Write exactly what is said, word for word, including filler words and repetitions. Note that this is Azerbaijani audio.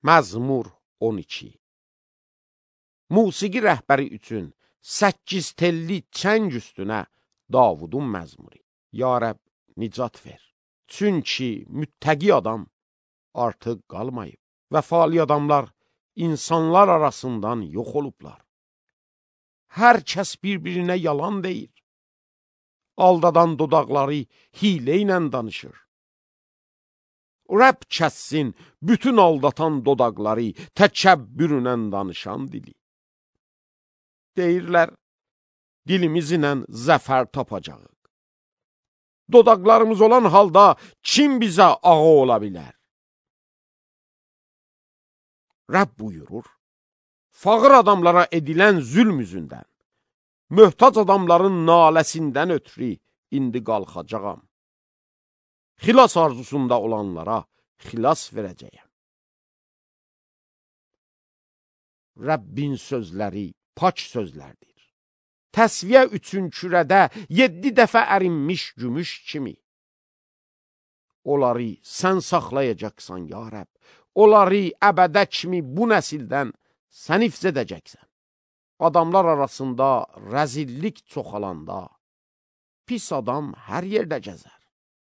Məzmur on iki. Musiqi rəhbəri üçün səkkiz telli çəng üstünə Davudun məzmuri. Ya Rəbb, nicat ver. Çünki müttəqi adam artıq qalmayıb. Vəfali adamlar insanlar arasından yox olublar. Hər kəs bir-birinə yalan deyir. Aldadan dodaqları hilə ilə danışır. Rəbb kəssin bütün aldatan dodaqları, təkəbbürünə danışan dili. Deyirlər, dilimizlə zəfər tapacaq. Dodaqlarımız olan halda kim bizə ağa ola bilər? Rəbb buyurur, fağır adamlara edilən zülm üzündən, möhtac adamların naləsindən ötürü indi qalxacağam. Xilas arzusunda olanlara xilas verəcəyəm. Rəbbin sözləri pak sözlərdir. Təsviyə üçün kürədə yeddi dəfə ərinmiş gümüş kimi. Onları sən saxlayacaqsan, ya Rəbb. Onları əbədə kimi bu nəsildən sən hifz edəcəksən. Adamlar arasında rəzillik çoxalanda, pis adam hər yerdə gəzər.